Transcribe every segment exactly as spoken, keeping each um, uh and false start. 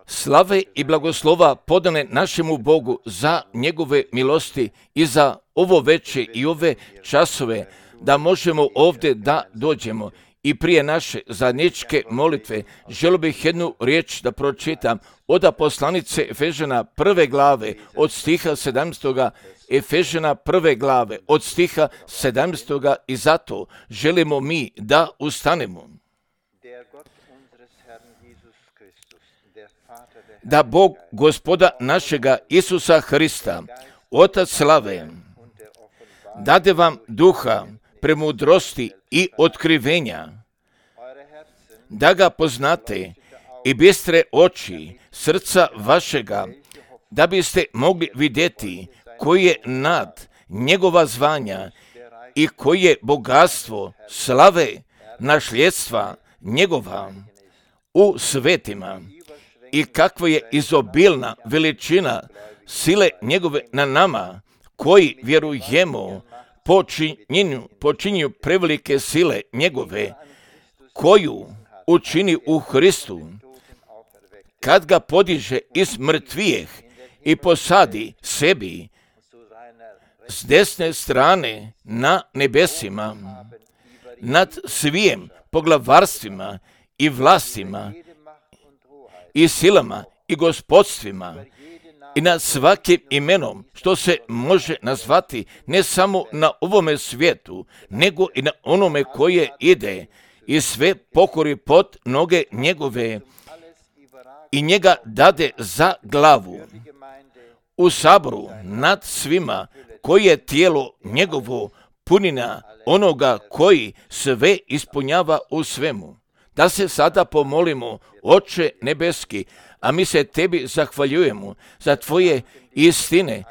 Slave i blagoslova podane našemu Bogu za njegove milosti i za ovo veče i ove časove da možemo ovdje da dođemo. I prije naše zajedničke molitve želio bih jednu riječ da pročitam od poslanice Efežana prve glave od stiha sedamnaestoga. Efežana prve glave od stiha sedamnaestoga i zato želimo mi da ustanemo. Da Bog Gospoda našega Isusa Hrista, Otac slave, dade vam duha premudrosti i otkrivenja, da ga poznate i bistre oči srca vašega, da biste mogli vidjeti koji je nad njegova zvanja i koji je bogatstvo slave nasljedstva njegova u svetima i kakva je izobilna veličina sile njegove na nama koji vjerujemo počinjenju, počinju prevelike sile njegove koju učini u Hristu kad ga podiže iz mrtvijeh i posadi sebi s desne strane na nebesima nad svim poglavarstvima i vlastima i silama i gospodstvima i nad svakim imenom što se može nazvati ne samo na ovome svijetu, nego i na onome koje ide i sve pokori pod noge njegove i njega dade za glavu u saboru nad svima koji je tijelo njegovo punina onoga koji sve ispunjava u svemu. Da se sada pomolimo, Oče nebeski, a mi se tebi zahvaljujemo za tvoje istine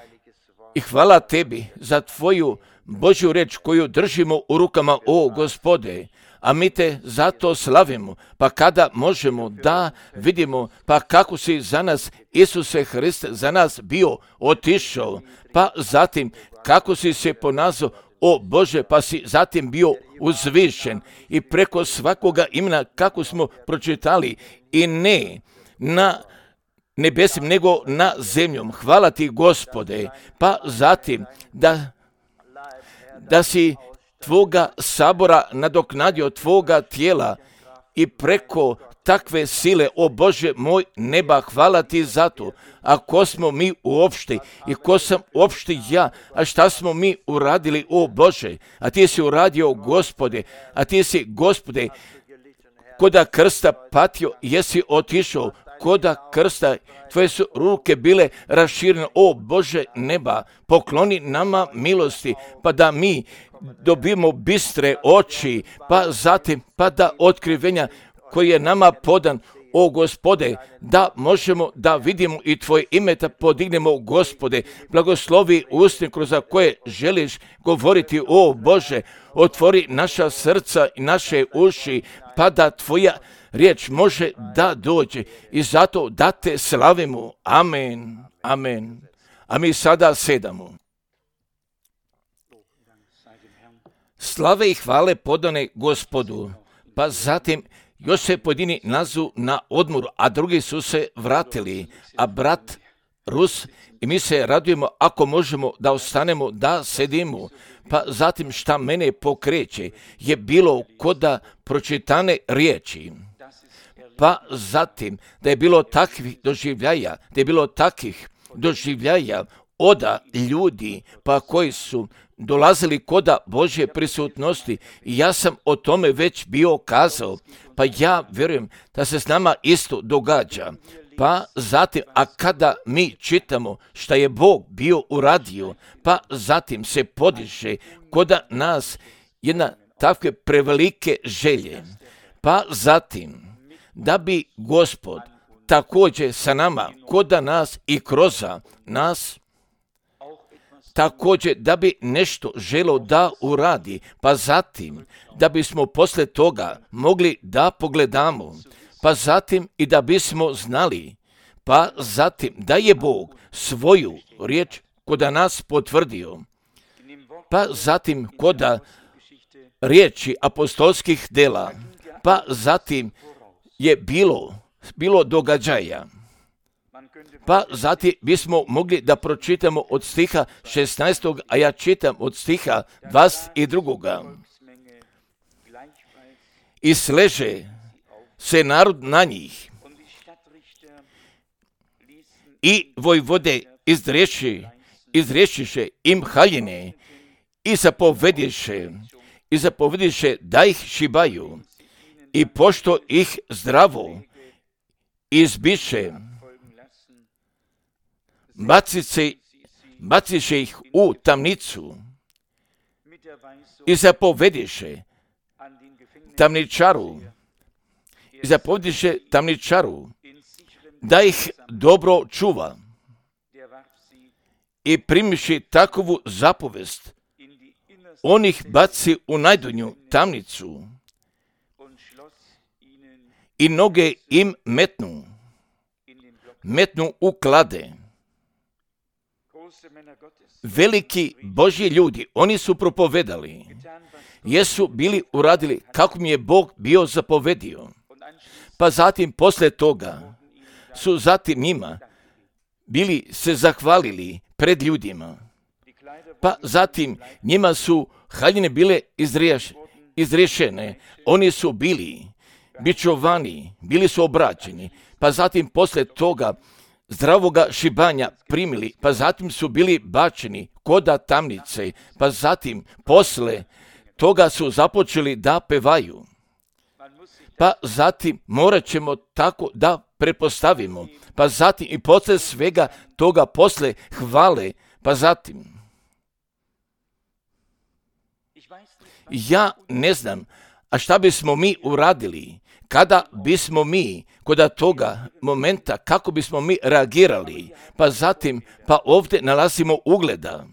i hvala tebi za tvoju Božju reč koju držimo u rukama, o Gospode, a mi te zato slavimo, pa kada možemo da vidimo, pa kako si za nas, Isuse Hriste, za nas bio otišao, pa zatim kako si se ponazao, o Bože, pa si zatim bio uzvišen i preko svakoga imena kako smo pročitali i ne na nebesim nego na zemljom. Hvala ti, Gospode, pa zatim da, da si tvoga sabora nadoknadio tvoga tijela i preko takve sile, o Bože moj neba, hvala ti za to. A ko smo mi uopšte i ko sam uopšte ja, a šta smo mi uradili, o Bože, a ti si uradio, Gospode, a ti si, Gospode, koda krsta patio, jesi otišao, koda krsta, tvoje su ruke bile raširene, o Bože neba, pokloni nama milosti, pa da mi dobimo bistre oči, pa zatim, pa da otkrivenja koji je nama podan, o Gospode, da možemo da vidimo i tvoje ime da podignemo, Gospode, blagoslovi usne kroz koje želiš govoriti, o Bože, otvori naša srca i naše uši, pa da tvoja riječ može da dođe i zato da te slavimo. Amen, amen. A mi sada sedamo. Slave i hvale podane Gospodu, pa zatim još se pojedini nazu na odmoru, a drugi su se vratili, a brat Rus i mi se radujemo ako možemo da ostanemo, da sedimo. Pa zatim šta mene pokreće je bilo koda pročitane riječi. Pa zatim da je bilo takvih doživljaja, da je bilo takvih doživljaja oda ljudi pa koji su dolazili koda Božje prisutnosti i ja sam o tome već bio kazao, pa ja vjerujem da se s nama isto događa. Pa zatim, a kada mi čitamo šta je Bog bio uradio, pa zatim se podiže koda nas jedna takve prevelike želje. Pa zatim, da bi Gospod također sa nama, koda nas i kroz nas, također da bi nešto želio da uradi, pa zatim da bismo poslije toga mogli da pogledamo, pa zatim i da bismo znali, pa zatim da je Bog svoju riječ koda nas potvrdio, pa zatim koda riječi apostolskih dela, pa zatim je bilo bilo događaja. Pa zatim bismo mogli da pročitamo od stiha šesnaestog, a ja čitam od stiha dvadeset drugoga. I sleže se narod na njih i vojvode izreši, izrešiše im haljine i zapovediše, i zapovediše da ih šibaju i pošto ih zdravo izbiše, bacice, baciše ih u tamnicu i zapovediše tamničaru, i zapovediše tamničaru da ih dobro čuva i primiši takovu zapovest, on ih baci u najdonju tamnicu i noge im metnu, metnu u klade. Veliki Božji ljudi, oni su propovedali, jesu bili uradili kako mi je Bog bio zapovedio. Pa zatim posle toga su zatim njima bili se zahvalili pred ljudima. Pa zatim njima su haljine bile izriješ, izriješene, oni su bili bičovani, bili su obraćeni, pa zatim posle toga zdravoga šibanja primili, pa zatim su bili bačeni koda tamnice, pa zatim posle toga su započeli da pevaju. Pa zatim morat ćemo tako da pretpostavimo, pa zatim i posle svega toga posle hvale, pa zatim. Ja ne znam, a šta bismo mi uradili, kada bismo mi kod toga momenta, kako bismo mi reagirali, pa zatim, pa ovdje nalazimo ugleda.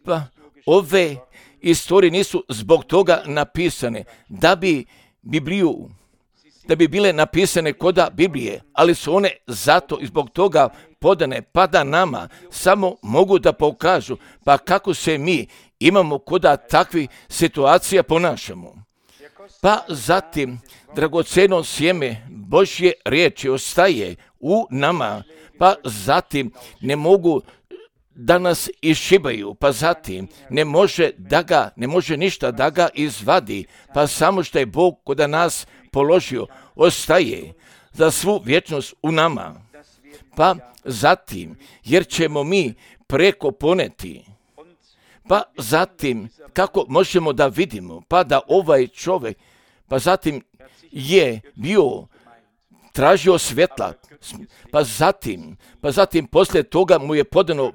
Pa ove istorije nisu zbog toga napisane, da bi Bibliju, da bi bile napisane koda Biblije, ali su one zato i zbog toga podane, pa da nama samo mogu da pokažu, pa kako se mi imamo koda takvih situacija ponašamo. Pa zatim, dragoceno sjeme Božje riječi ostaje u nama, pa zatim ne mogu da nas išibaju, pa zatim ne može da ga, ne može ništa da ga izvadi, pa samo što je Bog kod nas položio, ostaje za svu vječnost u nama. Pa zatim, jer ćemo mi preko poneti, pa zatim, kako možemo da vidimo, pa da ovaj čovjek, pa zatim je bio tražio svjetla, pa zatim, pa zatim poslije toga mu je podano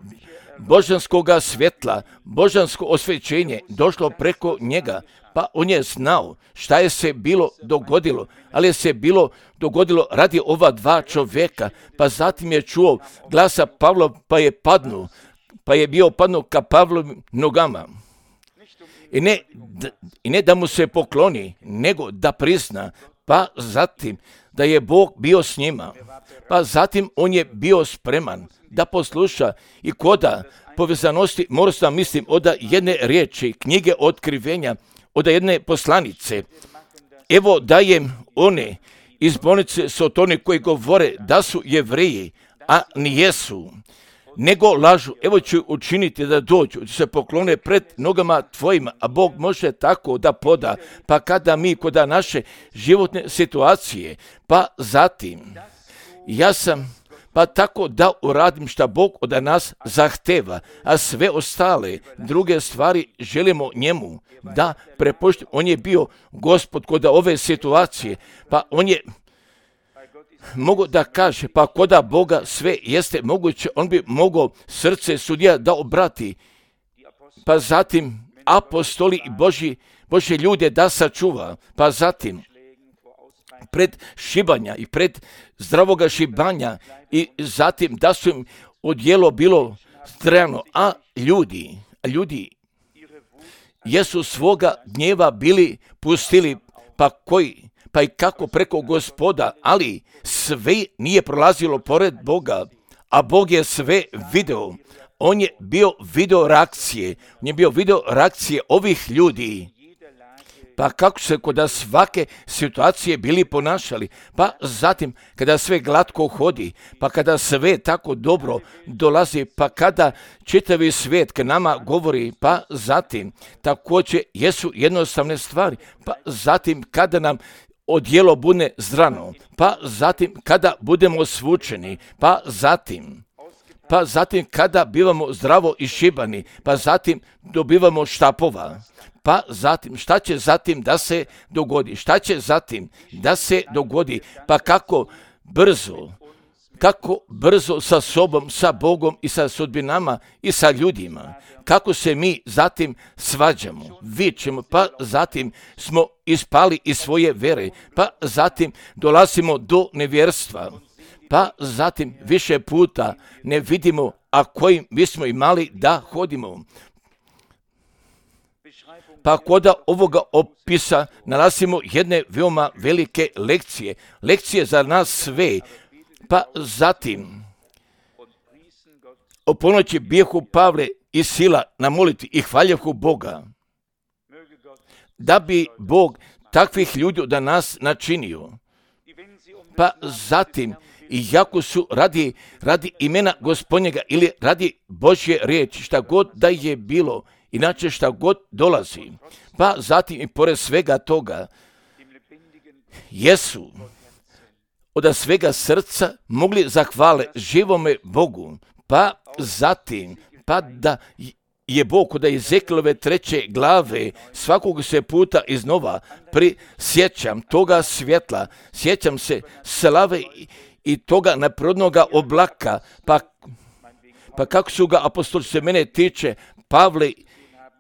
božanskoga svjetla, božansko osvećenje došlo preko njega, pa on je znao šta je se bilo dogodilo, ali je se bilo dogodilo radi ova dva čovjeka, pa zatim je čuo glasa Pavla, pa je padnuo, pa je bio padnuo ka Pavlovim nogama. I ne, da, I ne da mu se pokloni, nego da prizna, pa zatim da je Bog bio s njima, pa zatim on je bio spreman da posluša i koda povezanosti, moram sam mislim od jedne riječi, knjige otkrivenja, od jedne poslanice. Evo dajem one iz bolnice Sotone koji govore da su Jevreji, a nijesu, nego lažu. Evo ću učiniti da dođu, da se poklone pred nogama tvojima, a Bog može tako da poda, pa kada mi kod naše životne situacije, pa zatim ja sam pa tako da uradim šta Bog od nas zahteva, a sve ostale druge stvari želimo njemu da prepuštimo. On je bio Gospod kod ove situacije, pa on je mogu da kaže, pa koda Boga sve jeste moguće, on bi mogao srce sudija da obrati, pa zatim apostoli i Božji, Božje ljude da sačuva, pa zatim pred šibanja i pred zdravoga šibanja i zatim da su im odjelo bilo strano, a ljudi, a ljudi jesu svoga gnjeva bili pustili, pa koji, pa i kako preko Gospoda, ali sve nije prolazilo pored Boga, a Bog je sve video. On je bio video reakcije, on je bio video reakcije ovih ljudi. pa kako se kod svake situacije bili ponašali, pa zatim kada sve glatko hodi, pa kada sve tako dobro dolazi, pa kada čitavi svijet k nama govori, pa zatim također jesu jednostavne stvari, pa zatim kada nam odjelo bude zdrano, pa zatim kada budemo svučeni, pa zatim pa zatim kada bivamo zdravo išibani, pa zatim dobivamo štapova, pa zatim šta će zatim da se dogodi, šta će zatim da se dogodi, pa kako brzo, kako brzo sa sobom, sa Bogom i sa sudbinama i sa ljudima, kako se mi zatim svađamo, vičemo, pa zatim smo ispali iz svoje vere, pa zatim dolazimo do nevjerstva, pa zatim više puta ne vidimo, a kojim bismo imali da hodimo. Pa kod ovoga opisa nalazimo jedne veoma velike lekcije, lekcije za nas sve, pa zatim o ponoći bijehu Pavle i Sila na molitvi i hvaljehu Boga, da bi Bog takvih ljudi da nas načinio. Pa zatim, iako su radi, radi imena Gospodnjega ili radi Božje riječi, šta god da je bilo, inače šta god dolazi, pa zatim i pored svega toga, jesu od svega srca mogli zahvale živome Bogu, pa zatim, pa da je Bog kod Ezekilove treće glave svakog se puta iznova prisjećam toga svjetla, sjećam se slave i toga neprirodnoga oblaka, pa, pa kako su ga apostoli se mene tiče, Pavle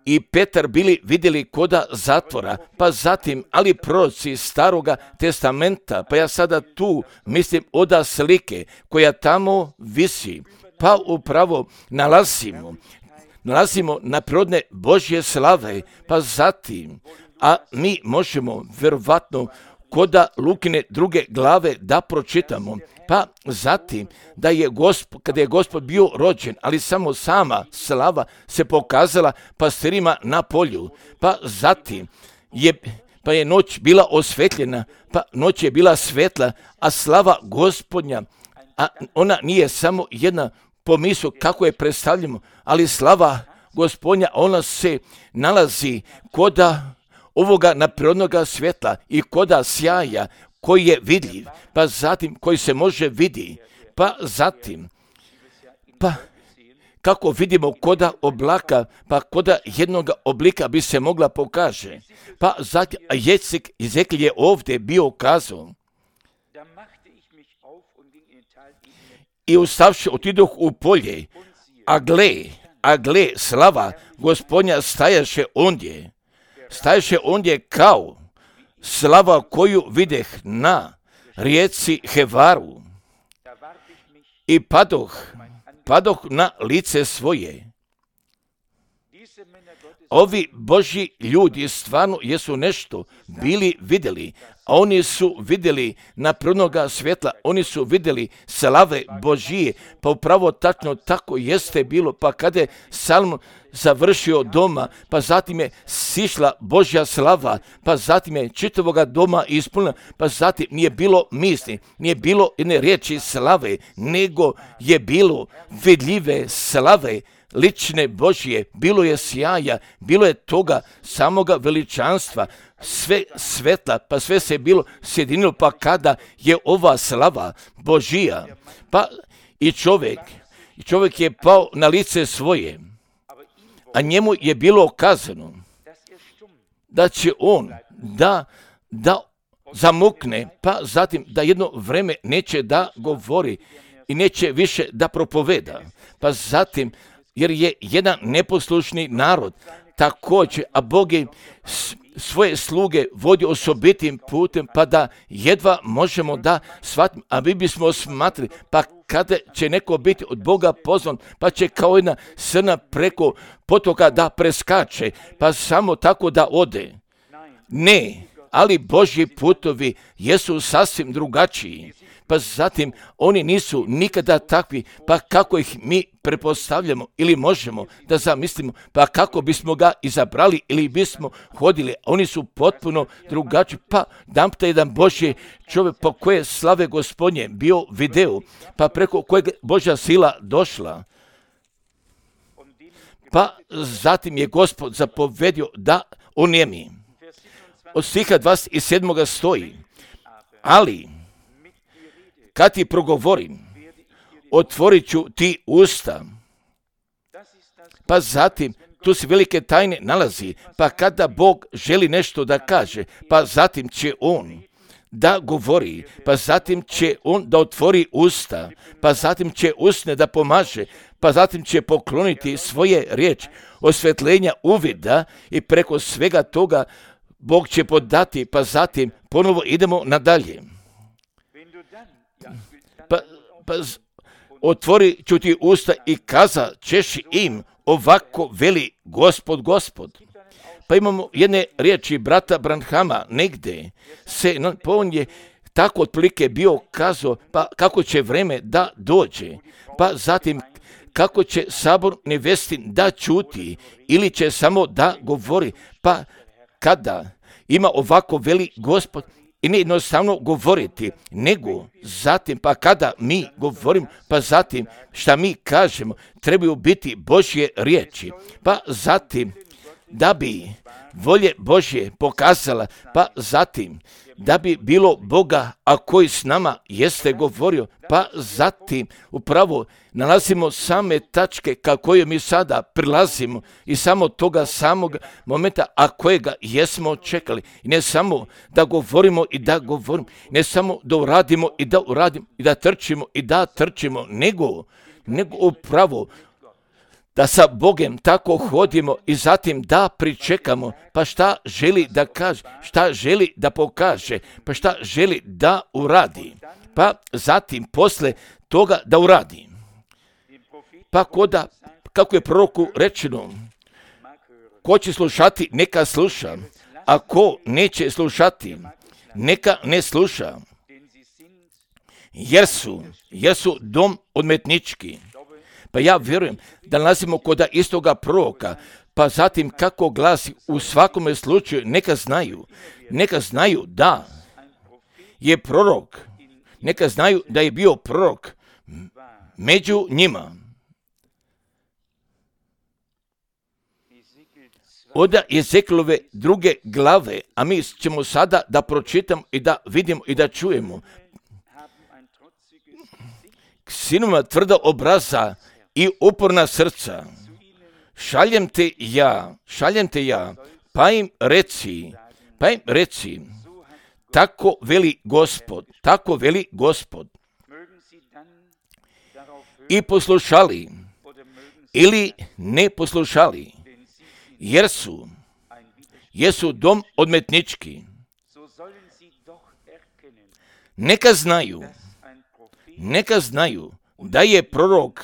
i Petar bili vidjeli koda zatvora, pa zatim, ali proroci staroga testamenta, pa ja sada tu mislim oda slike koja tamo visi, pa upravo nalazimo, nalazimo neprirodne Božje slave, pa zatim, a mi možemo vjerovatno koda Lukine druge glave da pročitamo, pa zatim da je Gospod, kada je Gospod bio rođen, ali samo sama slava se pokazala pastirima na polju, pa zatim je, pa je noć bila osvetljena, pa noć je bila svetla, a slava Gospodnja, a ona nije samo jedna pomisao kako je predstavljamo, ali slava Gospodnja, ona se nalazi koda ovoga neprirodnoga svjetla i koda sjaja koji je vidljiv, pa zatim koji se može vidi, pa zatim, pa kako vidimo koda oblaka, pa koda jednog oblika bi se mogla pokaže, pa zatim, a Jecik Ezekil je ovdje bio kazao, i ustavši otidoh u polje, a gle, a gle, slava Gospodnja stajaše ondje, stajaše ondje kao slava koju videh na rijeci Hevaru i padoh, padoh na lice svoje. Ovi Božji ljudi stvarno jesu nešto bili vidjeli, a oni su vidjeli neprirodnoga svjetla, oni su vidjeli slave Božije, pa upravo tačno tako jeste bilo, pa kada je Salmon završio doma, pa zatim je sišla Božja slava, pa zatim je čitavoga doma ispunila, pa zatim nije bilo misli, nije bilo jedne riječi slave, nego je bilo vidljive slave, lične Božje, bilo je sjaja, bilo je toga samoga veličanstva, sve svetla, pa sve se bilo sjedinilo, pa kada je ova slava Božija, pa i čovjek, i čovjek je pao na lice svoje, a njemu je bilo kazano da će on da, da zamukne, pa zatim da jedno vreme neće da govori i neće više da propoveda, pa zatim jer je jedan neposlušni narod također, a Bog je svoje sluge vodi osobitim putem, pa da jedva možemo da shvatimo, a mi bismo smatrali, pa kada će neko biti od Boga pozvan, pa će kao jedna srna preko potoka da preskače, pa samo tako da ode. Ne, ali Božji putovi jesu sasvim drugačiji. pa zatim oni nisu nikada takvi, pa kako ih mi prepostavljamo ili možemo da zamislimo, pa kako bismo ga izabrali ili bismo hodili, oni su potpuno drugačiji, pa damte jedan Božji čovjek po koje slave Gospodnje bio video, pa preko kojeg Božja sila došla. Pa zatim je Gospod zapovedio da onijemi. Od stiha dvadeset sedam stoji, ali kad ti progovorim, otvorit ću ti usta. Pa zatim, tu se velike tajne nalazi, pa kada Bog želi nešto da kaže, pa zatim će On da govori, pa zatim će On da otvori usta, pa zatim će usne da pomaže, pa zatim će pokloniti svoje riječi, osvetljenja uvida i preko svega toga Bog će podati, pa zatim ponovo idemo nadalje. Pa, pa otvori ću ti usta i kaza ćeš im, ovako veli Gospod, Gospod. Pa imamo jedne riječi brata Branhama, negde se, no, pa on je tako otprilike bio kazao, pa kako će vreme da dođe, pa zatim kako će sabor nevestin da ćuti ili će samo da govori, pa kada ima ovako veli Gospod i ne jednostavno govoriti, nego zatim, pa kada mi govorimo, pa zatim šta mi kažemo, trebaju biti Božje riječi, pa zatim da bi volje Božje pokazala, pa zatim da bi bilo Boga, a koji s nama jeste govorio, pa zatim upravo nalazimo same tačke ka kojoj mi sada prilazimo i samo toga samog momenta, a kojega jesmo čekali. I ne samo da govorimo i da govorimo, ne samo da uradimo i da uradimo i da trčimo i da trčimo, nego, nego upravo da sa Bogem tako hodimo i zatim da pričekamo, pa šta želi da kaže, šta želi da pokaže, pa šta želi da uradi, pa zatim posle toga da uradi. Pa koda, kako je proroku rečeno, ko će slušati, neka sluša, a ko neće slušati, neka ne sluša, jer su, jer su dom odmetnički. Pa ja vjerujem da nalazimo kod istoga proroka, pa zatim kako glasi u svakome slučaju, neka znaju, neka znaju da je prorok, neka znaju da je bio prorok među njima. Od Ezekielove druge glave, a mi ćemo sada da pročitamo i da vidimo i da čujemo. Sinovima tvrda obraza i uporna srca, šaljem te ja, šaljem te ja, pa im reci, pa im reci, tako veli Gospod, tako veli Gospod. I poslušali, ili ne poslušali, jer su, jer su dom odmetnički. Neka znaju, neka znaju da je prorok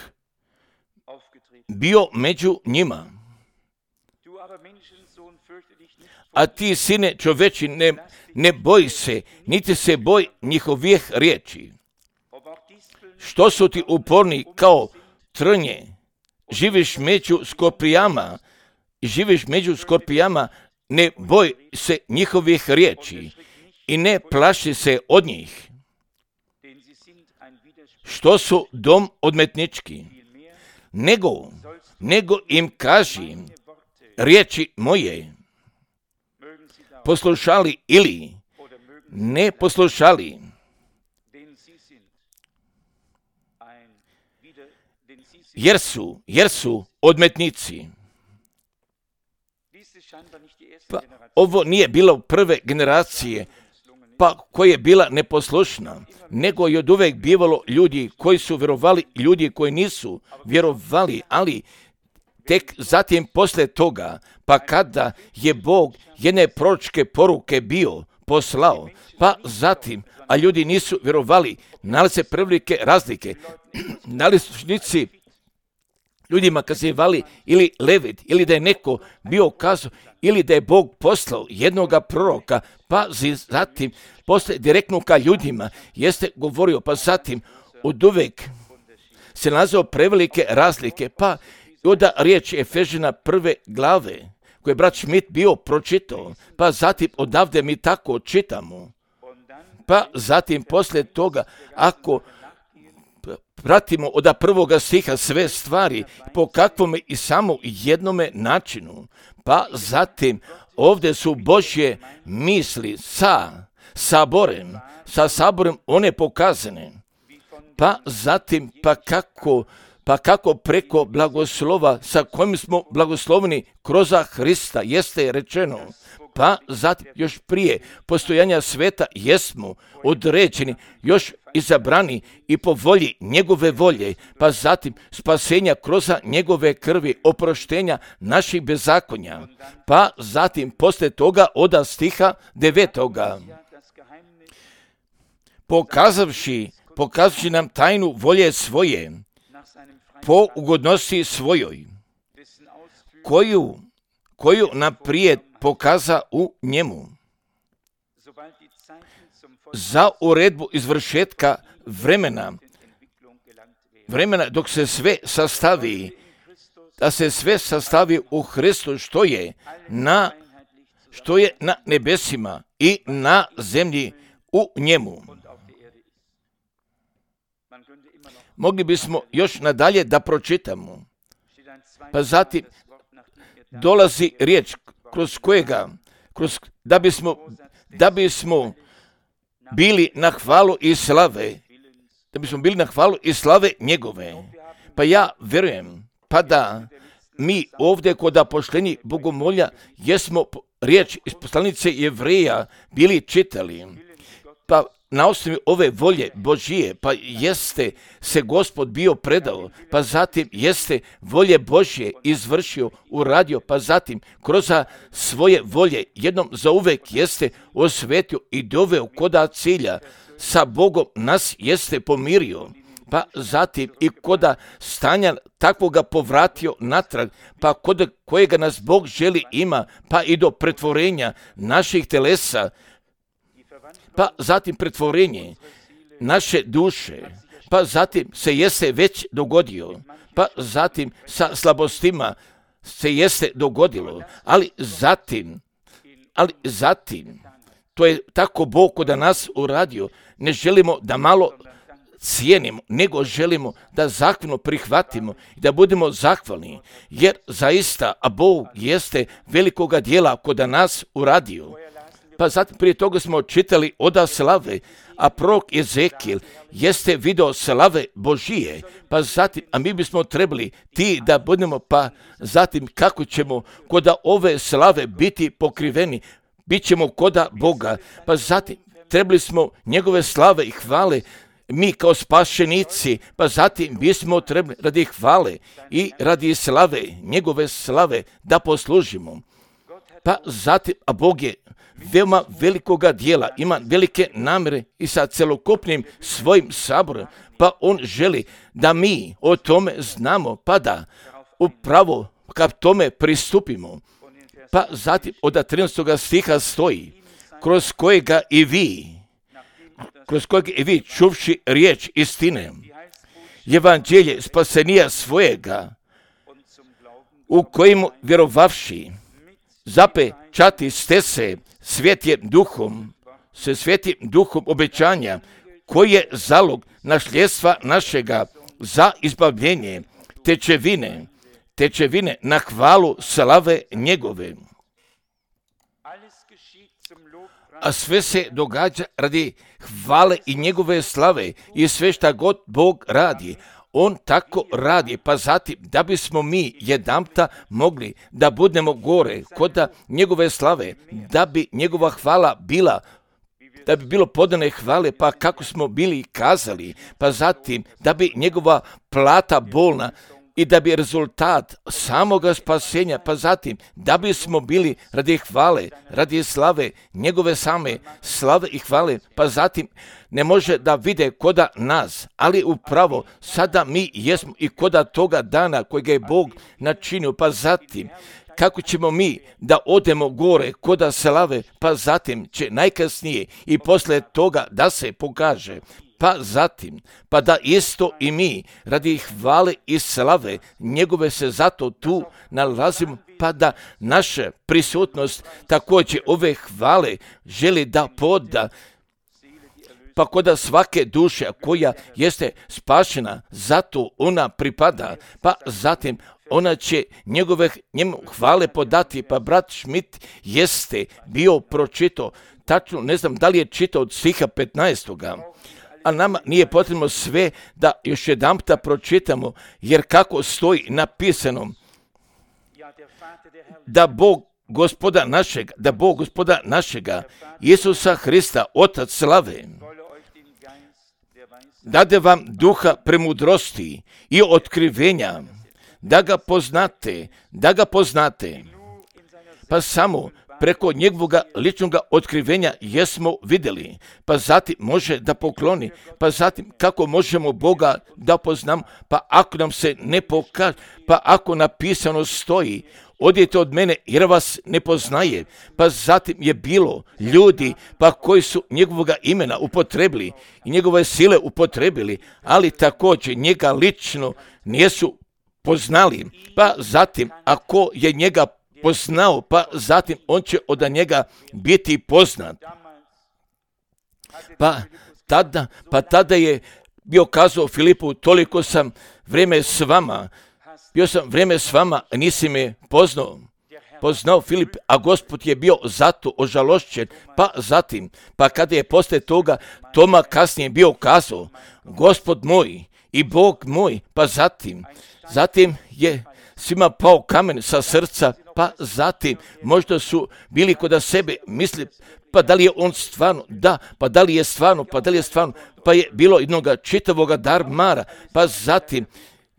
bio među njima. A ti, sine čoveči, ne, ne boj se, niti se boj njihovih riječi. Što su ti uporni kao trnje, živiš među skorpijama, živiš među skorpijama, ne boj se njihovih riječi i ne plaši se od njih. Što su dom odmetnički, nego, nego im kaži riječi moje, poslušali ili ne poslušali. Jer su, jer su odmetnici. Pa ovo nije bilo prve generacije, pa koja je bila neposlušna, nego je od uvek bivalo ljudi koji su vjerovali, ljudi koji nisu vjerovali, ali tek zatim posle toga, pa kada je Bog jedne proročke poruke bio poslao, pa zatim, a ljudi nisu vjerovali, nalaze prevelike razlike, nalazišnici ljudima kazivali ili Levit, ili da je neko bio kazao, ili da je Bog poslao jednoga proroka, pa zatim posle direktno ka ljudima jeste govorio, pa zatim od uvek se nalazio prevelike razlike, pa onda riječ Efežina prve glave, koje je brat Schmidt bio pročitao, pa zatim odavde mi tako čitamo. Pa zatim poslije toga, ako pratimo od prvoga stiha sve stvari, po kakvome i samo jednome načinu, pa zatim ovdje su Božje misli sa saborem, sa saborem one pokazane, pa zatim pa kako Pa kako preko blagoslova sa kojim smo blagosloveni kroz Hrista jeste rečeno, pa zatim još prije postojanja sveta jesmo određeni, još izabrani i po volji njegove volje, pa zatim spasenja kroz njegove krvi, oproštenja naših bezakonja, pa zatim poslije toga od stiha devetoga. Pokazavši, pokazavši nam tajnu volje svoje, po ugodnosti svojoj, koju, koju naprijed pokaza u njemu, za uredbu izvršetka vremena, vremena dok se sve sastavi, da se sve sastavi u Hristu, što je na, što je na nebesima i na zemlji u njemu. Mogli bismo još nadalje da pročitamo. Pa zatim dolazi riječ kroz kojega, kroz, da, bismo, da bismo bili na hvalu i slave, da bismo bili na hvalu i slave njegove. Pa ja vjerujem, pa da mi ovdje kod apoštoljenja bogomolja jesmo riječ iz poslanice Jevreja bili čitali. Pa na osnovi ove volje Božije, pa jeste se Gospod bio predao, pa zatim jeste volje Božje izvršio, uradio, pa zatim kroz svoje volje jednom zauvek jeste osvetio i doveo koda cilja, sa Bogom nas jeste pomirio, pa zatim i koda stanja takvoga povratio natrag, pa kod kojega nas Bog želi ima, pa i do pretvorenja naših telesa, pa zatim pretvorenje naše duše, pa zatim se jeste već dogodio, pa zatim sa slabostima se jeste dogodilo, ali zatim, ali zatim, to je tako Bog kod nas uradio, ne želimo da malo cijenimo, nego želimo da zahvalno prihvatimo i da budemo zahvalni, jer zaista, a Bog jeste velikoga dijela kod nas uradio. Pa zatim prije toga smo čitali oda slave, a prorok Ezekijel jeste video slave Božije, pa zatim, a mi bismo trebali ti da budemo, pa zatim kako ćemo koda ove slave biti pokriveni, bit ćemo koda Boga, pa zatim trebali smo njegove slave i hvale, mi kao spašenici, pa zatim bismo trebali radi hvale i radi slave, njegove slave da poslužimo. Pa zatim, a Bog je veoma velikoga dijela, ima velike namjere i sa celokupnim svojim saborom, pa on želi da mi o tome znamo, pa da upravo ka tome pristupimo. Pa zatim od trinaestog stiha stoji, kroz kojega i vi, kroz kojega i vi čuvši riječ istine, evanđelje spasenija svojega, u kojemu vjerovavši, zapečati ste se svjetjem duhom, se svjetim duhom obećanja, koji je zalog nasljedstva našega za izbavljenje, tečevine, tečevine na hvalu slave njegove. A sve se događa radi hvale i njegove slave i sve šta god Bog radi, on tako radi, pa zatim da bismo mi jedanputa mogli da budemo gore kod njegove slave, da bi njegova hvala bila, da bi bilo podane hvale, pa kako smo bili kazali, pa zatim da bi njegova plata bolna i da bi rezultat samoga spasenja, pa zatim da bismo bili radi hvale, radi slave, njegove same slave i hvale, pa zatim ne može da vide koda nas, ali upravo sada mi jesmo i koda toga dana kojega je Bog načinio, pa zatim kako ćemo mi da odemo gore koda slave, pa zatim će najkasnije i posle toga da se pokaže, pa zatim, pa da isto i mi radi hvale i slave njegove se zato tu nalazimo, pa da naša prisutnost također ove hvale želi da poda, pa koda svake duše koja jeste spašena, zato ona pripada, pa zatim ona će njegove njemu hvale podati, pa brat Schmidt jeste bio pročitao, tačno ne znam da li je čitao od stiha petnaestoga, a nama nije potrebno sve da još jedanputa pročitamo, jer kako stoji napisano, da Bog gospoda našega, da Bog gospoda našega, Isusa Hrista, Otac slave, dade vam duha premudrosti i otkrivenja, da ga poznate, da ga poznate, pa samo preko njegovog ličnog otkrivenja jesmo vidjeli, pa zatim može da pokloni, pa zatim kako možemo Boga da poznamo, pa ako nam se ne pokaže, pa ako napisano stoji, odite od mene jer vas ne poznaje, pa zatim je bilo ljudi pa koji su njegovog imena upotrebili i njegove sile upotrebili, ali također njega lično nisu poznali, pa zatim ako je njega poznao, pa zatim on će od njega biti poznat. Pa tada, pa tada je bio kazao Filipu, toliko sam vrijeme s vama, bio sam vrijeme s vama, a nisi me poznao. Poznao Filip, a Gospod je bio zato ožalošćen, pa zatim, pa kada je posle toga Toma kasnije bio kazao, Gospod moj i Bog moj, pa zatim, zatim je svima pao kamen sa srca, pa zatim možda su bili kod sebe misli, pa da li je on stvarno, da, pa da li je stvarno, pa da li je stvarno, pa je bilo jednog čitavoga darmara, pa zatim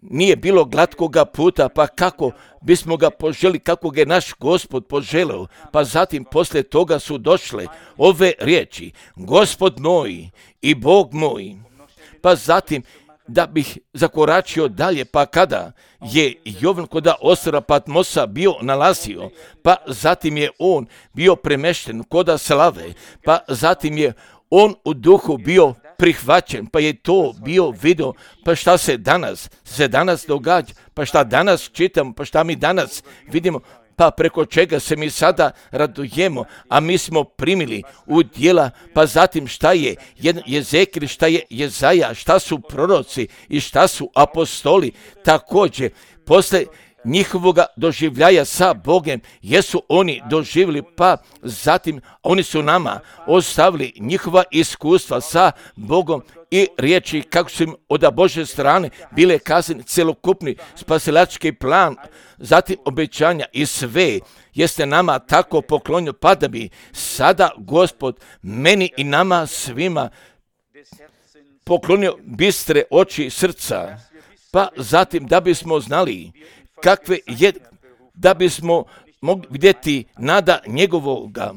nije bilo glatkoga puta, pa kako bismo ga poželi, kako ga je naš Gospod poželeo, pa zatim posle toga su došle ove riječi, Gospod moj i Bog moj, pa zatim da bih zakoračio dalje, pa kada je Jovan kod ostrva Patmosa bio nalazio, pa zatim je on bio premešten kod slave, pa zatim je on u duhu bio prihvaćen, pa je to bio video, pa šta se danas, se danas događa, pa šta danas čitamo, pa šta mi danas vidimo, pa preko čega se mi sada radujemo, a mi smo primili u djela, pa zatim šta je Jezekil, šta je Jezaja, šta su proroci i šta su apostoli, također posle njihovog doživljaja sa Bogem, jesu oni doživjeli, pa zatim oni su nama ostavili njihova iskustva sa Bogom i riječi kako su im od Božje strane bile kazane celokupni spasilački plan, zatim obećanja i sve jeste nama tako poklonio, pa da bi sada Gospod meni i nama svima poklonio bistre oči srca, pa zatim da bismo znali kakve je, da bismo mogli vidjeti nada njegovoga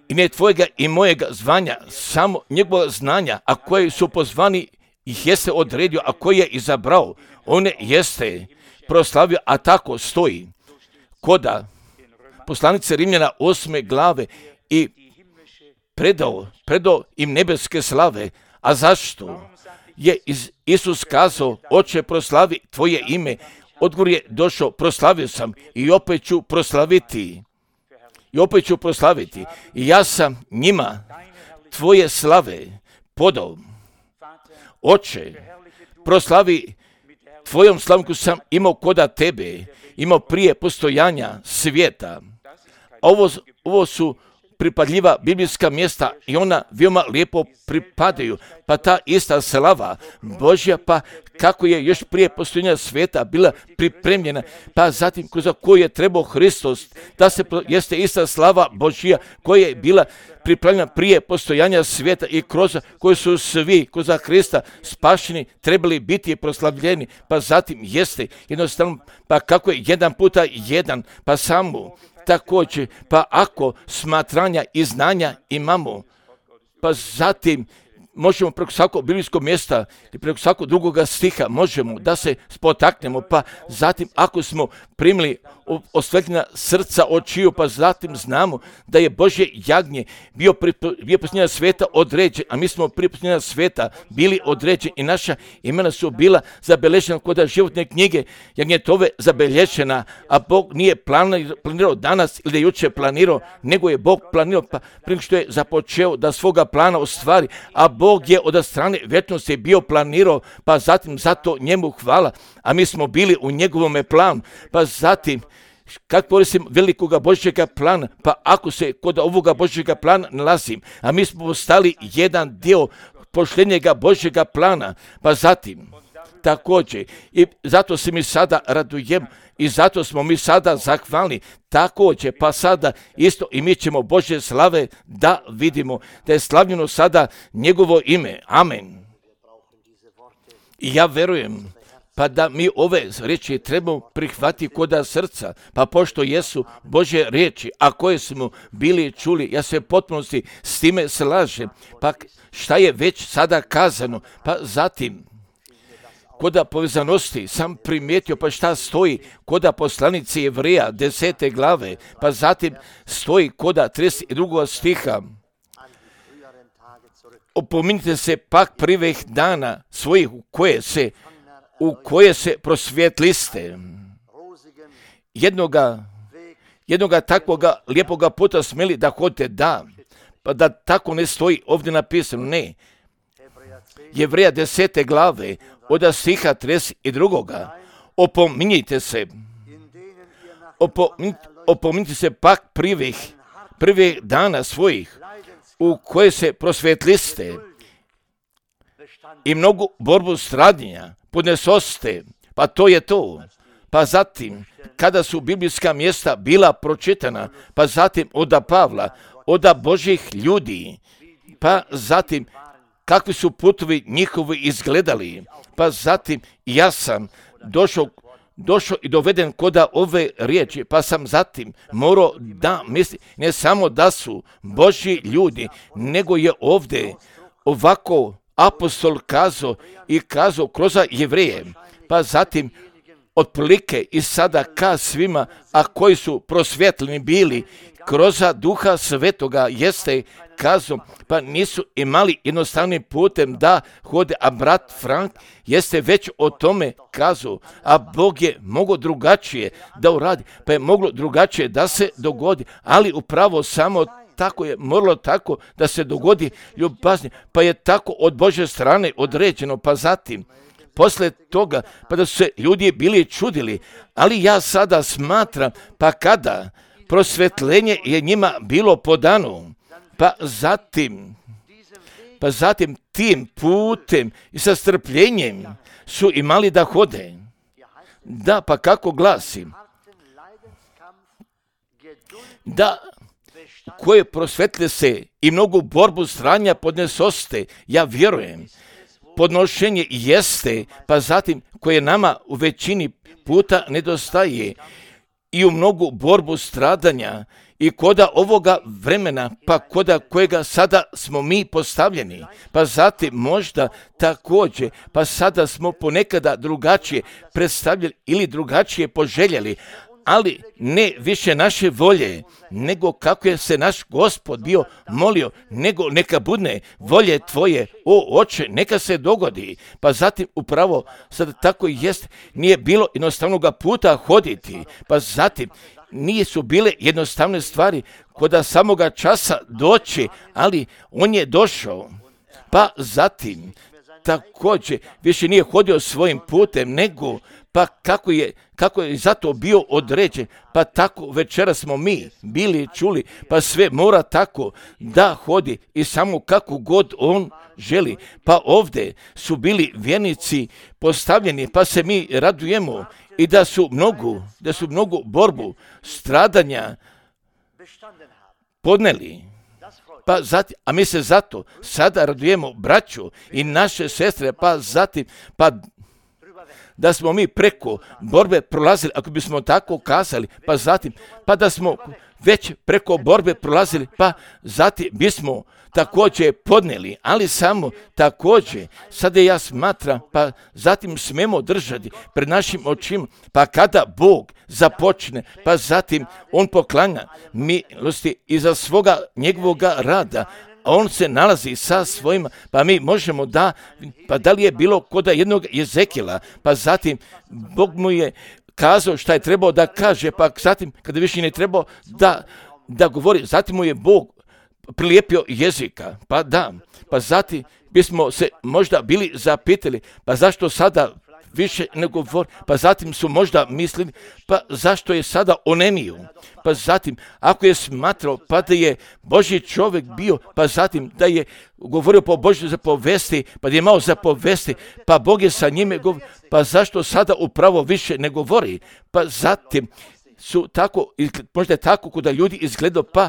i ne tvojega i mojega zvanja, samo njegovog znanja, a koji su pozvani ih jeste odredio, a koji je izabrao, one jeste proslavio, a tako stoji koda poslanice Rimljana osme glave i predao, predao im nebeske slave. A zašto je Isus kazao, Oče proslavi tvoje ime, odgovor je došao, proslavio sam i opet ću proslaviti. I opet ću proslaviti. I ja sam njima tvoje slave podao. Oče, proslavi tvojom slavom koju sam imao koda tebe, imao prije postojanja svijeta. A ovo, ovo su pripadljiva biblijska mjesta i ona veoma lijepo pripadaju. Pa ta ista slava Božja, pa kako je još prije postojanja svijeta bila pripremljena, pa zatim za koju je trebao Hristos, da se jeste ista slava Božja koja je bila pripremljena prije postojanja svijeta i kroz koju su svi kroz Hrista spašeni trebali biti proslavljeni, pa zatim jeste jednostavno, pa kako je jedan puta jedan, pa samo također, pa ako smatranja i znanja imamo, pa zatim možemo preko svakog biblijskog mjesta i preko svakog drugoga stiha možemo da se spotaknemo, pa zatim ako smo primili osvetljena srca očiju, pa zatim znamo da je Božje jagnje bio prije posljednja svijeta određen, a mi smo prije posljednja svijeta bili određeni i naša imena su bila zabilježena kod životne knjige jagnjetove zabilježena, a Bog nije planirao danas ili da je jučer planirao, nego je Bog planirao pa prije što je započeo da svoga plana ostvari, a Bog je od strane vječnosti bio planirao, pa zatim zato njemu hvala, a mi smo bili u njegovome planu, pa zatim kako koristim velikoga Božjega plana, pa ako se kod ovoga Božjega plana nalazim, a mi smo postali jedan dio pošljenjega Božjega plana, pa zatim također, i zato se mi sada radujem i zato smo mi sada zahvalni, također, pa sada isto i mi ćemo Božje slave da vidimo, da je slavljeno sada njegovo ime, amen. I ja verujem, pa da mi ove riječi trebamo prihvatiti koda srca, pa pošto jesu Božje riječi, a koje smo bili čuli, ja se potpunosti s time slažem, pa šta je već sada kazano, pa zatim koda povezanosti sam primijetio pa šta stoji koda poslanici Jevreja desete glave, pa zatim stoji koda trideset drugog stiha. Opominite se pak prvih dana svojih u koje se u koje se prosvjetliste. Jednoga, jednoga takvoga lijepoga puta smjeli da hodite, da, pa da tako ne stoji ovdje napisano, ne. Jevreja desete glave, od stiha trideset drugog. Opominjite se, opominjite, opominjite se pak prvih, prvih dana svojih, u koje se prosvjetliste i mnogu borbu stradnja podnesoste, pa to je to. Pa zatim, kada su biblijska mjesta bila pročitana, pa zatim oda Pavla, oda Božjih ljudi, pa zatim kakvi su putovi njihovi izgledali, pa zatim ja sam došao, došao i doveden koda ove riječi, pa sam zatim morao da misli, ne samo da su Božji ljudi, nego je ovdje ovako apostol kazao i kazao kroz Jevreje, pa zatim otprilike i sada ka svima, a koji su prosvjetljeni bili kroz Duha Svetoga, jeste kazao, pa nisu imali jednostavnim putem da hode, a brat Frank jeste već o tome kazao, a Bog je mogao drugačije da uradi, pa je moglo drugačije da se dogodi, ali upravo samo tako je moralo tako da se dogodi ljubazni, pa je tako od Božje strane određeno, pa zatim posle toga, pa da su se ljudi bili čudili, ali ja sada smatram, pa kada prosvjetljenje je njima bilo podano, pa zatim, pa zatim tim putem i sa strpljenjem su imali da hode. Da, pa kako glasim? Da, koje prosvetle se i mnogu borbu stranja podnesoste, ja vjerujem, podnošenje jeste, pa zatim koje nama u većini puta nedostaje i u mnogu borbu stradanja i koda ovoga vremena, pa koda kojega sada smo mi postavljeni, pa zatim možda također, pa sada smo ponekada drugačije predstavljali ili drugačije poželjeli, ali ne više naše volje, nego kako je se naš Gospod bio molio, nego neka bude volje tvoje, o Oče, neka se dogodi. Pa zatim upravo sada tako i jest, nije bilo jednostavnoga puta hoditi, pa zatim nije su bile jednostavne stvari koda samoga časa doći, ali on je došao, pa zatim također više nije hodio svojim putem, nego pa kako je, kako je zato bio određen, pa tako večera smo mi bili čuli, pa sve mora tako da hodi i samo kako god on želi. Pa ovdje su bili vjernici postavljeni, pa se mi radujemo i da su mnogu, da su mnogu borbu, stradanja podneli. Pa zatim, a mi se zato sada radujemo braću i naše sestre, pa zatim, pa da smo mi preko borbe prolazili, ako bismo tako kazali, pa zatim, pa da smo već preko borbe prolazili, pa zatim bismo također podneli, ali samo također, sada ja smatram, pa zatim smemo držati pred našim očima, pa kada Bog započne, pa zatim on poklanja milosti iza svoga njegovoga rada, a on se nalazi sa svojima, pa mi možemo da, pa da li je bilo kod jednog Jezekila, pa zatim Bog mu je kazao šta je trebao da kaže, pa zatim kada više ne trebao da, da govori, zatim mu je Bog prilijepio jezika, pa da, pa zatim bismo se možda bili zapitali, pa zašto sada više ne govori, pa zatim su možda mislili, pa zašto je sada onemio, pa zatim ako je smatrao, pa da je Božji čovjek bio, pa zatim da je govorio po Božjoj zapovesti, pa da je imao zapovesti, pa Bog je sa njime govorio, pa zašto sada upravo više ne govori, pa zatim su tako, možda je tako kod ljudi izgledao, pa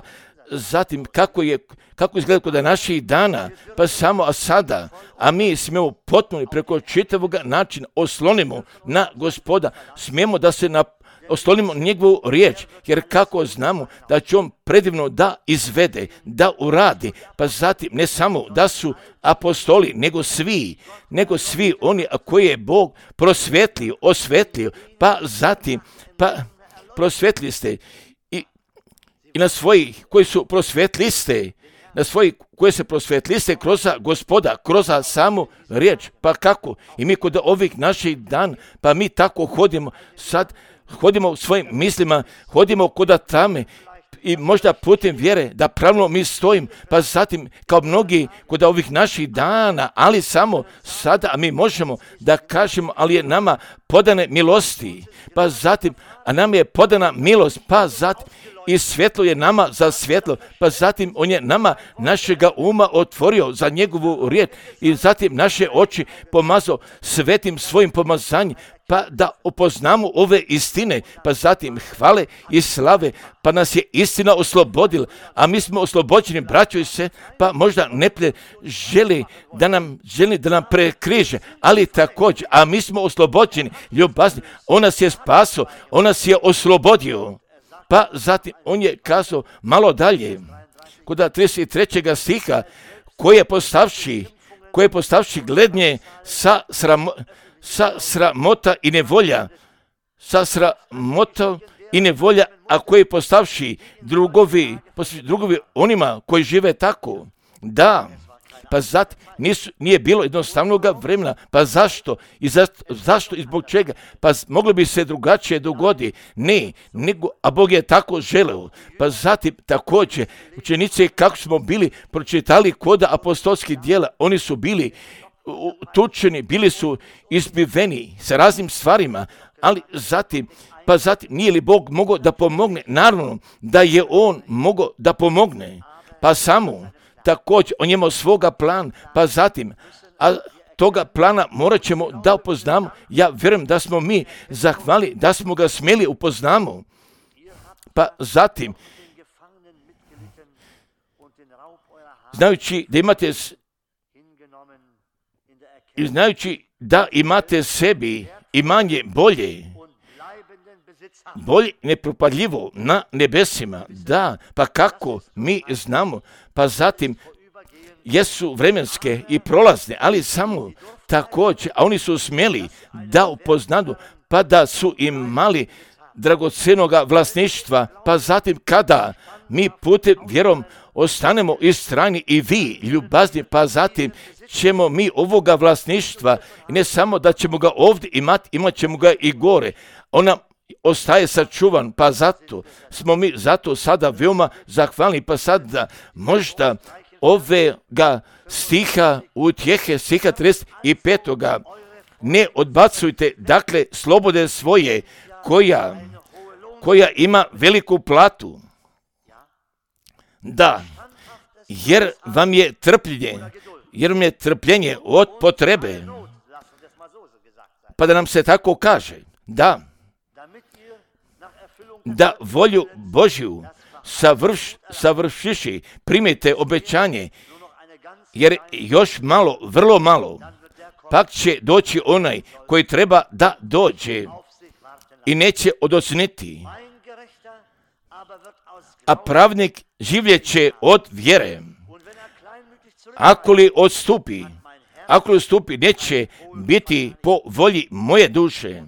zatim kako je, kako izgleda kod naših dana, pa samo a sada, a mi smijemo potpuno preko čitavog načina oslonimo na Gospoda, smijemo da se na, oslonimo njegovu riječ, jer kako znamo da će on predivno da izvede, da uradi, pa zatim ne samo da su apostoli, nego svi, nego svi oni koji je Bog prosvetlio, osvetlio, pa zatim, pa prosvetli ste i na svojih koji su prosvetliste, na svojih koje se prosvetliste kroz Gospoda, kroz samu riječ. Pa kako? I mi kod ovih naših dan, pa mi tako hodimo, sad hodimo u svojim mislima, hodimo kod tame i možda putem vjere da pravilno mi stojim, pa zatim kao mnogi kod ovih naših dana, ali samo sada, a mi možemo da kažemo, ali je nama podane milosti, pa zatim, a nam je podana milost, pa zatim, i svjetlo je nama za svjetlo, pa zatim on je nama našega uma otvorio za njegovu riječ i zatim naše oči pomazao svetim svojim pomazanjem, pa da upoznamo ove istine, pa zatim hvale i slave, pa nas je istina oslobodila, a mi smo oslobođeni, braćo i se, pa možda neplje želi da nam, želi da nam prekriže, ali također, a mi smo oslobođeni, ljubazni, on nas je spasao, on nas je oslobodio. Pa zatim on je kazao malo dalje, kod trideset trećeg stiha, koji je postavši, koji je postavši glednje sa, sramo, sa sramota i nevolja, sa sramota i nevolja, a koji je postavši drugovi, drugovi onima koji žive tako. Da, pa zatim nisu, nije bilo jednostavnog vremena, pa zašto? I za, zašto i zbog čega? Pa moglo bi se drugačije dogodi. Ne, nego, a Bog je tako želeo. Pa zatim također, učenici kako smo bili pročitali kod apostolskih djela, oni su bili tučeni, bili su izbiveni sa raznim stvarima, ali zatim, pa zatim nije li Bog mogao da pomogne? Naravno da je on mogao da pomogne, pa samo također on je imao svoga plan, pa zatim, a toga plana morat ćemo da upoznamo. Ja vjerujem da smo mi zahvali, da smo ga smjeli upoznamo. Pa zatim, znajući da imate i znajući da imate sebi imanje bolje, bolje nepropadljivo na nebesima. Da, pa kako mi znamo, pa zatim jesu vremenske i prolazne, ali samo također, a oni su smjeli da upoznadu, pa da su imali dragocjenoga vlasništva, pa zatim kada mi putem vjerom ostanemo istrajni i vi ljubazni, pa zatim ćemo mi ovoga vlasništva, i ne samo da ćemo ga ovdje imati, imat ćemo ga i gore. Ona ostaje sačuvan, pa zato smo mi zato sada veoma zahvalni, pa sada možda ovega stiha utjehe, stiha trideset pet ne odbacujte, dakle, slobode svoje, koja, koja ima veliku platu. Da, jer vam je trpljenje, jer vam je trpljenje od potrebe. Pa da nam se tako kaže, da, da volju Božju savrš, savršiši, primite obećanje, jer još malo, vrlo malo, pak će doći onaj koji treba da dođe i neće odosniti. A pravnik življeće od vjere. Ako li odstupi, ako li odstupi, neće biti po volji moje duše.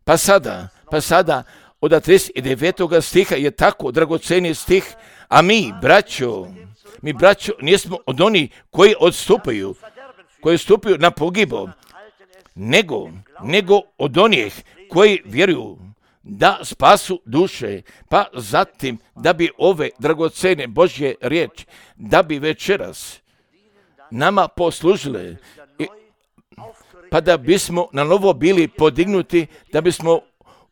Pa sada, pa sada, od trideset devetog stiha je tako dragoceni stih, a mi, braćo, mi, braćo, nismo od onih koji odstupaju, koji odstupaju na pogibu, nego, nego od onih koji vjeruju da spasu duše, pa zatim da bi ove dragocene Božje riječi, da bi večeras nama poslužile, pa da bismo na novo bili podignuti, da bismo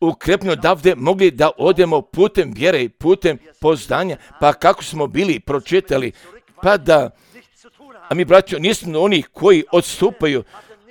ukrepno davde mogli da odemo putem vjere i putem poznanja, pa kako smo bili pročitali, pa da, a mi, braćo, nismo oni koji odstupaju,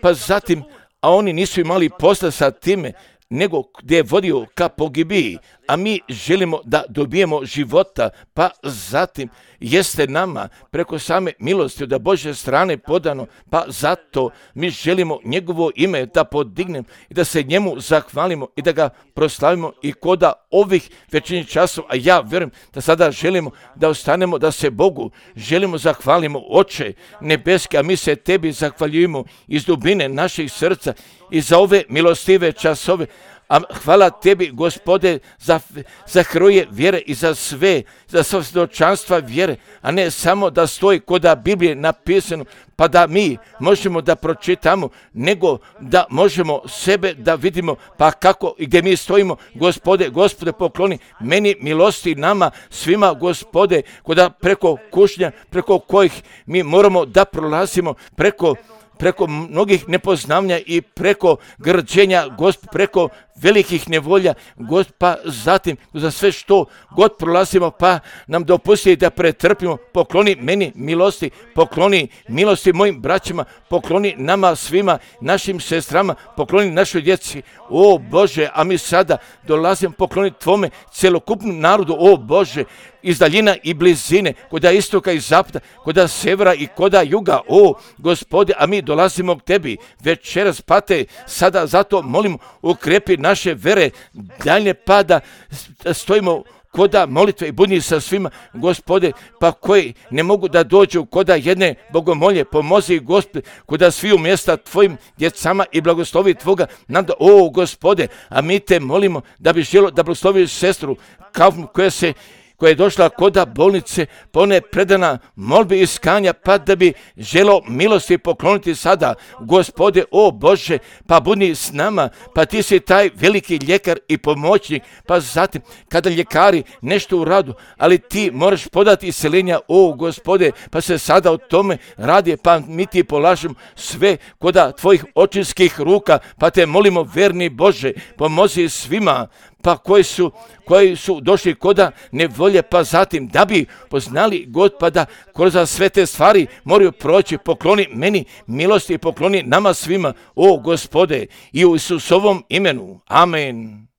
pa zatim, a oni nisu imali posla sa time, nego gdje je vodio ka pogibiji, a mi želimo da dobijemo života, pa zatim jeste nama preko same milosti od Božje strane podano, pa zato mi želimo njegovo ime da podignemo i da se njemu zahvalimo i da ga proslavimo i koda ovih večernjih časova, a ja vjerujem da sada želimo da ostanemo, da se Bogu želimo zahvalimo, Oče nebeski, a mi se tebi zahvaljujemo iz dubine naših srca i za ove milostive časove. A hvala tebi, Gospode, za, za heroje vjere i za sve, za sve svjedočanstva vjere, a ne samo da stoji koda Biblije napisano, pa da mi možemo da pročitamo, nego da možemo sebe da vidimo, pa kako i gdje mi stojimo, Gospode, Gospode, pokloni meni milosti nama svima, Gospode, koda preko kušnja, preko kojih mi moramo da prolazimo, preko preko mnogih nepoznavanja i preko grđenja, Gospod, preko velikih nevolja, Gospod, pa zatim za sve što god prolazimo, pa nam dopusti da pretrpimo, pokloni meni milosti, pokloni milosti mojim braćima, pokloni nama svima, našim sestrama, pokloni našoj djeci, o Bože, a mi sada dolazimo, pokloni tvome celokupnom narodu, o Bože, iz daljina i blizine, koda istoka i zapada, koda severa i koda juga, o Gospode, a mi dolazimo k tebi večeras, pa te sada zato molimo, ukrepi naše vere, dalje pada, stojimo koda molitve i budni sa svima, Gospode, pa koji ne mogu da dođu koda jedne bogomolje, pomozi, Gospode, koda svi u mjesta tvojim djecama i blagoslovi tvoga, nada, o Gospode, a mi te molimo da bi želo da blagosloviš sestru Kaufman, koja se koja je došla koda bolnice, pa ona je predana molbi iskanja, pa da bi želo milosti pokloniti sada, Gospode, o Bože, pa budi s nama, pa ti si taj veliki ljekar i pomoćnik, pa zatim kada ljekari nešto u radu, ali ti moraš podati isceljenja, o Gospode, pa se sada o tome radi, pa mi ti polažemo sve koda tvojih očinskih ruka, pa te molimo, verni Bože, pomozi svima, pa koji su, koji su došli koda nevolje, pa zatim da bi poznali God, pa da kroz sve te stvari moraju proći, pokloni meni milosti i pokloni nama svima, o Gospode, i u Isusovom imenu. Amen.